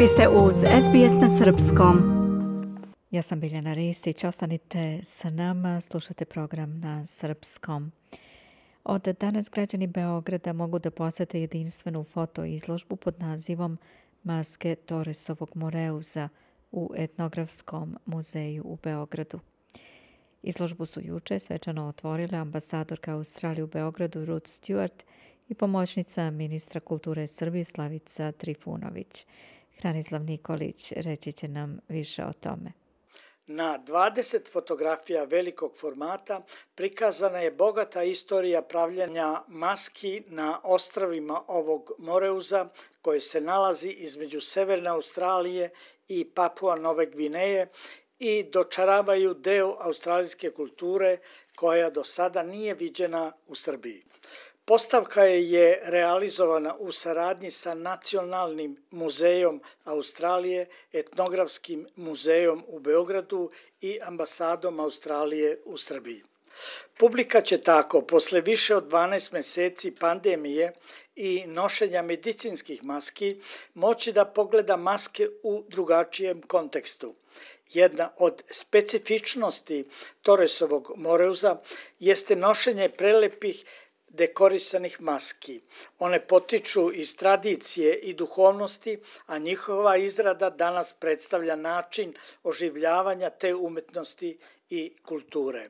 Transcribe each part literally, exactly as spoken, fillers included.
Vi ste uz S B S na srpskom. Ja sam Biljana Ristić, ostanite sa nama, slušate program na srpskom. Od danas građani Beograda mogu da posete jedinstvenu fotoizložbu pod nazivom Maske Torresovog Moreuza u Etnografskom muzeju u Beogradu. Izložbu su juče svečano otvorile ambasadorka Australije u Beogradu Ruth Stewart i pomoćnica ministra kulture Srbije Slavica Trifunović. Hranislav Nikolić reći će nam više o tome. Na dvadeset fotografija velikog formata prikazana je bogata istorija pravljenja maski na ostrvima ovog Moreuza koje se nalazi između Severne Australije i Papua Nove Gvineje i dočaravaju deo australijske kulture koja do sada nije viđena u Srbiji. Postavka je realizovana u saradnji sa Nacionalnim muzejom Australije, Etnografskim muzejom u Beogradu i ambasadom Australije u Srbiji. Publika će tako, posle više od dvanaest meseci pandemije i nošenja medicinskih maski, moći da pogleda maske u drugačijem kontekstu. Jedna od specifičnosti Torresovog Moreuza jeste nošenje prelepih dekorisanih maski. One potiču iz tradicije i duhovnosti, a njihova izrada danas predstavlja način oživljavanja te umetnosti i kulture.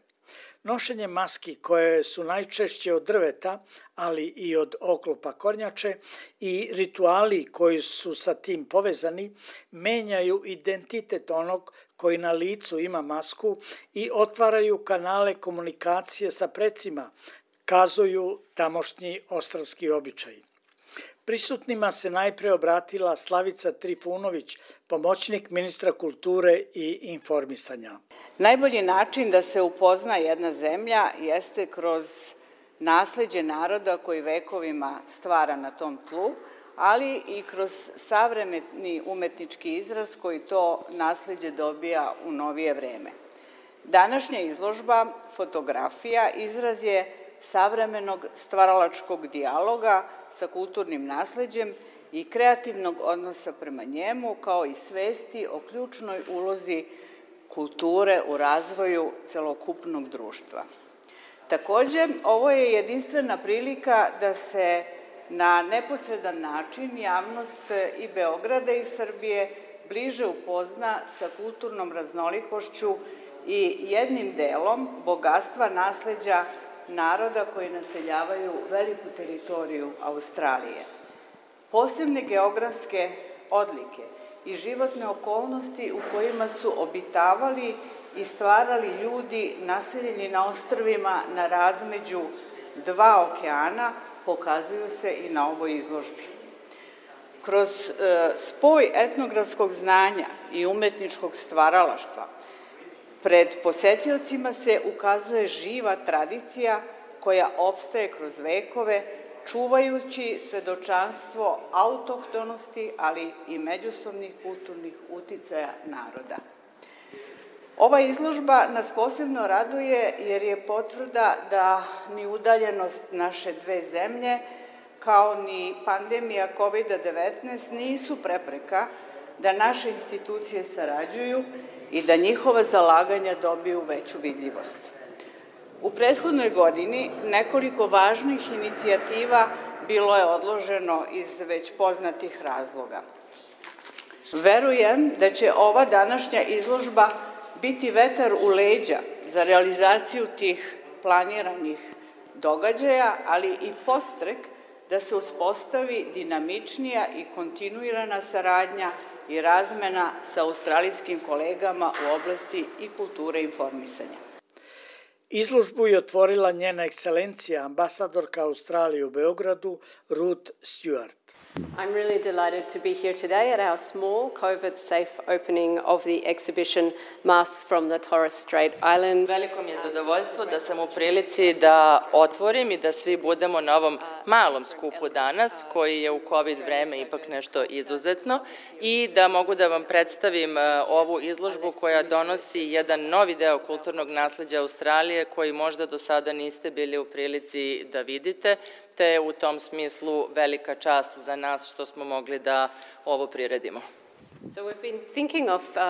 Nošenje maski koje su najčešće od drveta, ali i od oklopa kornjače i rituali koji su sa tim povezani, menjaju identitet onog koji na licu ima masku i otvaraju kanale komunikacije sa precima, kazuju tamošnji ostrvski običaji. Prisutnima se najpre obratila Slavica Trifunović, pomoćnik ministra kulture i informisanja. Najbolji način da se upozna jedna zemlja jeste kroz nasleđe naroda koji vekovima stvara na tom tlu, ali i kroz savremeni umetnički izraz koji to nasleđe dobija u novije vreme. Današnja izložba fotografija izraz je savremenog stvaralačkog dijaloga sa kulturnim nasleđem i kreativnog odnosa prema njemu, kao i svesti o ključnoj ulozi kulture u razvoju celokupnog društva. Takođe, ovo je jedinstvena prilika da se na neposredan način javnost i Beograda i Srbije bliže upozna sa kulturnom raznolikošću i jednim delom bogatstva nasleđa naroda koji naseljavaju veliku teritoriju Australije. Posebne geografske odlike i životne okolnosti u kojima su obitavali i stvarali ljudi naseljeni na ostrvima na razmeđu dva okeana pokazuju se i na ovoj izložbi. Kroz e, spoj etnografskog znanja i umetničkog stvaralaštva pred posetiocima se ukazuje živa tradicija koja opstaje kroz vekove, čuvajući svedočanstvo autohtonosti, ali i međusobnih kulturnih uticaja naroda. Ova izložba nas posebno raduje jer je potvrda da ni udaljenost naše dve zemlje, kao ni pandemija kovid devetnaest nisu prepreka da naše institucije sarađuju i da njihova zalaganja dobiju veću vidljivost. U prethodnoj godini nekoliko važnih inicijativa bilo je odloženo iz već poznatih razloga. Verujem da će ova današnja izložba biti vetar u leđa za realizaciju tih planiranih događaja, ali i podstrek da se uspostavi dinamičnija i kontinuirana saradnja i razmena sa australijskim kolegama u oblasti i kulture i informisanja. Izložbu je otvorila njena ekscelencija, ambasadorka Australije u Beogradu, Ruth Stewart. I'm really delighted to be here today at our small COVID-safe opening of the exhibition Masks from the Torres Strait Islands. Veliko mi je zadovoljstvo da sam u prilici da otvorim i da svi budemo na ovom malom skupu danas, koji je u COVID vreme ipak nešto izuzetno, i da mogu da vam predstavim ovu izložbu koja donosi jedan novi deo kulturnog nasleđa Australije koji možda do sada niste bili u prilici da vidite, te u tom smislu velika čast za nas što smo mogli da ovo priredimo. So we've been thinking of uh,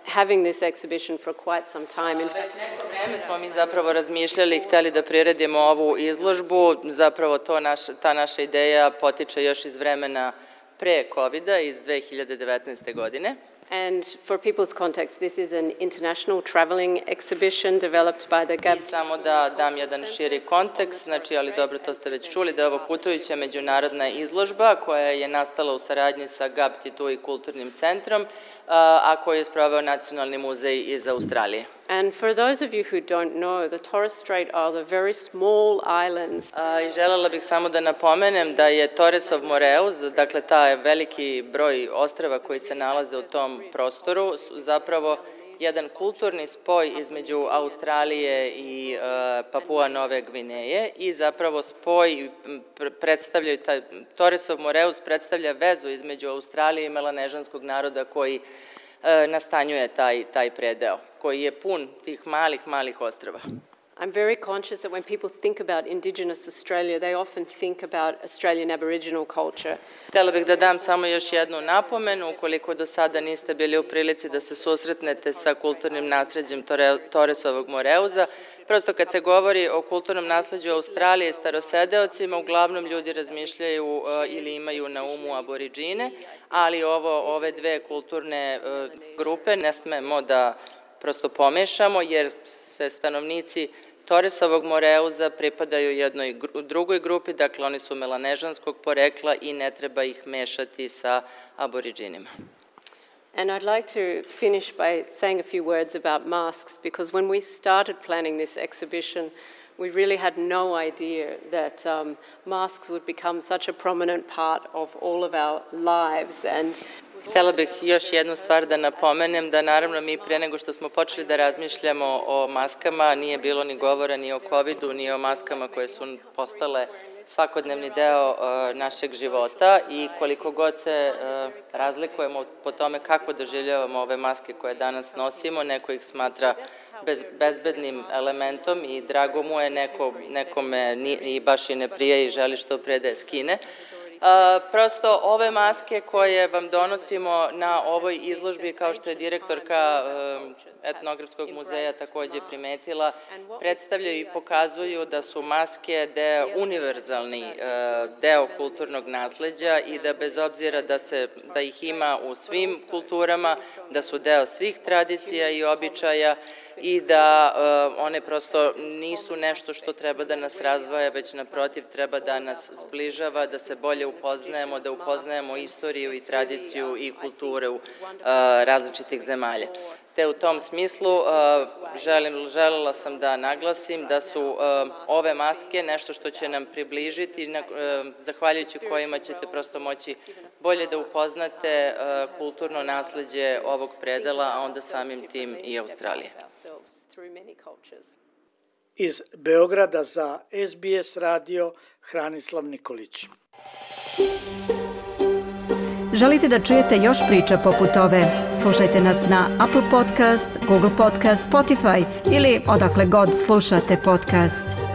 having this exhibition for quite some time. Već neko vreme smo mi zapravo razmišljali i hteli da priredimo ovu izložbu. Zapravo to naš, ta naša ideja potiče još iz vremena pre kovida, iz dve hiljade devetnaeste. godine. And for people's context, this is an international travelling exhibition developed by the Gab. I samo da dam jedan širi kontekst, znači, ali dobro, to ste već čuli, da je ovo putujuća međunarodna izložba koja je nastala u saradnji sa Gabtitu i kulturnim centrom, a koju je sproveo Nacionalni muzej iz Australije. And for those of you who don't know, the Torres Strait are the very small islands. I želela bih samo da napomenem da je Torresov Moreus, dakle taj veliki broj ostrava koji se nalaze u tom prostoru, zapravo jedan kulturni spoj između Australije i uh, Papua Nove Gvineje i zapravo spoj predstavljaju, taj Torresov Moreus predstavlja vezu između Australije i melanežanskog naroda koji uh, nastanjuje taj, taj predeo, koji je pun tih malih, malih ostrava. I'm very conscious that when people think about Indigenous Australia, they often think about Australian Aboriginal culture. Htela bih da dam samo još jednu napomenu, ukoliko do sada niste bili u prilici da se susretnete sa kulturnim nasleđem Torresovog Moreuza. Prosto kad se govori o kulturnom nasleđu Australije i starosedeocima, uglavnom ljudi razmišljaju uh, ili imaju na umu aboriđine, ali ovo, ove dve kulturne uh, grupe ne smemo da prosto pomešamo, jer se stanovnici Torresovog Moreuza pripadaju jednoj drugoj grupi, dakle oni su melanežanskog porekla i ne treba ih mešati sa aboriđinima. And I'd like to finish by saying a few words about masks, because when we started planning this exhibition, we really had no idea that um, masks would become such a prominent part of all of our lives. And htela bih još jednu stvar da napomenem, da naravno mi pre nego što smo počeli da razmišljamo o maskama, nije bilo ni govora ni o covidu, ni o maskama koje su postale svakodnevni deo uh, našeg života i koliko god se uh, razlikujemo po tome kako doživljavamo ove maske koje danas nosimo, neko ih smatra bez, bezbednim elementom i drago mu je, neko, nekome ni, i baš i ne prije i želi što pre da je skine. Uh, prosto ove maske koje vam donosimo na ovoj izložbi, kao što je direktorka uh, Etnografskog muzeja takođe primetila, predstavljaju i pokazuju da su maske deo, univerzalni uh, deo kulturnog nasleđa i da bez obzira da, se, da ih ima u svim kulturama, da su deo svih tradicija i običaja i da uh, one prosto nisu nešto što treba da nas razdvaja, već naprotiv treba da nas zbližava, da se bolje upoznajemo, da upoznajemo istoriju i tradiciju i kulturu uh, različitih zemalja. Te u tom smislu uh, želim, želela sam da naglasim da su uh, ove maske nešto što će nam približiti, na, uh, zahvaljujući kojima ćete prosto moći bolje da upoznate uh, kulturno nasleđe ovog predela, a onda samim tim i Australije. Iz Beograda za S B S radio Hranislav Nikolić. Želite da čujete još priča poput ove? Slušajte nas na Apple Podcast, Google Podcast, Spotify ili odakle god slušate podcast.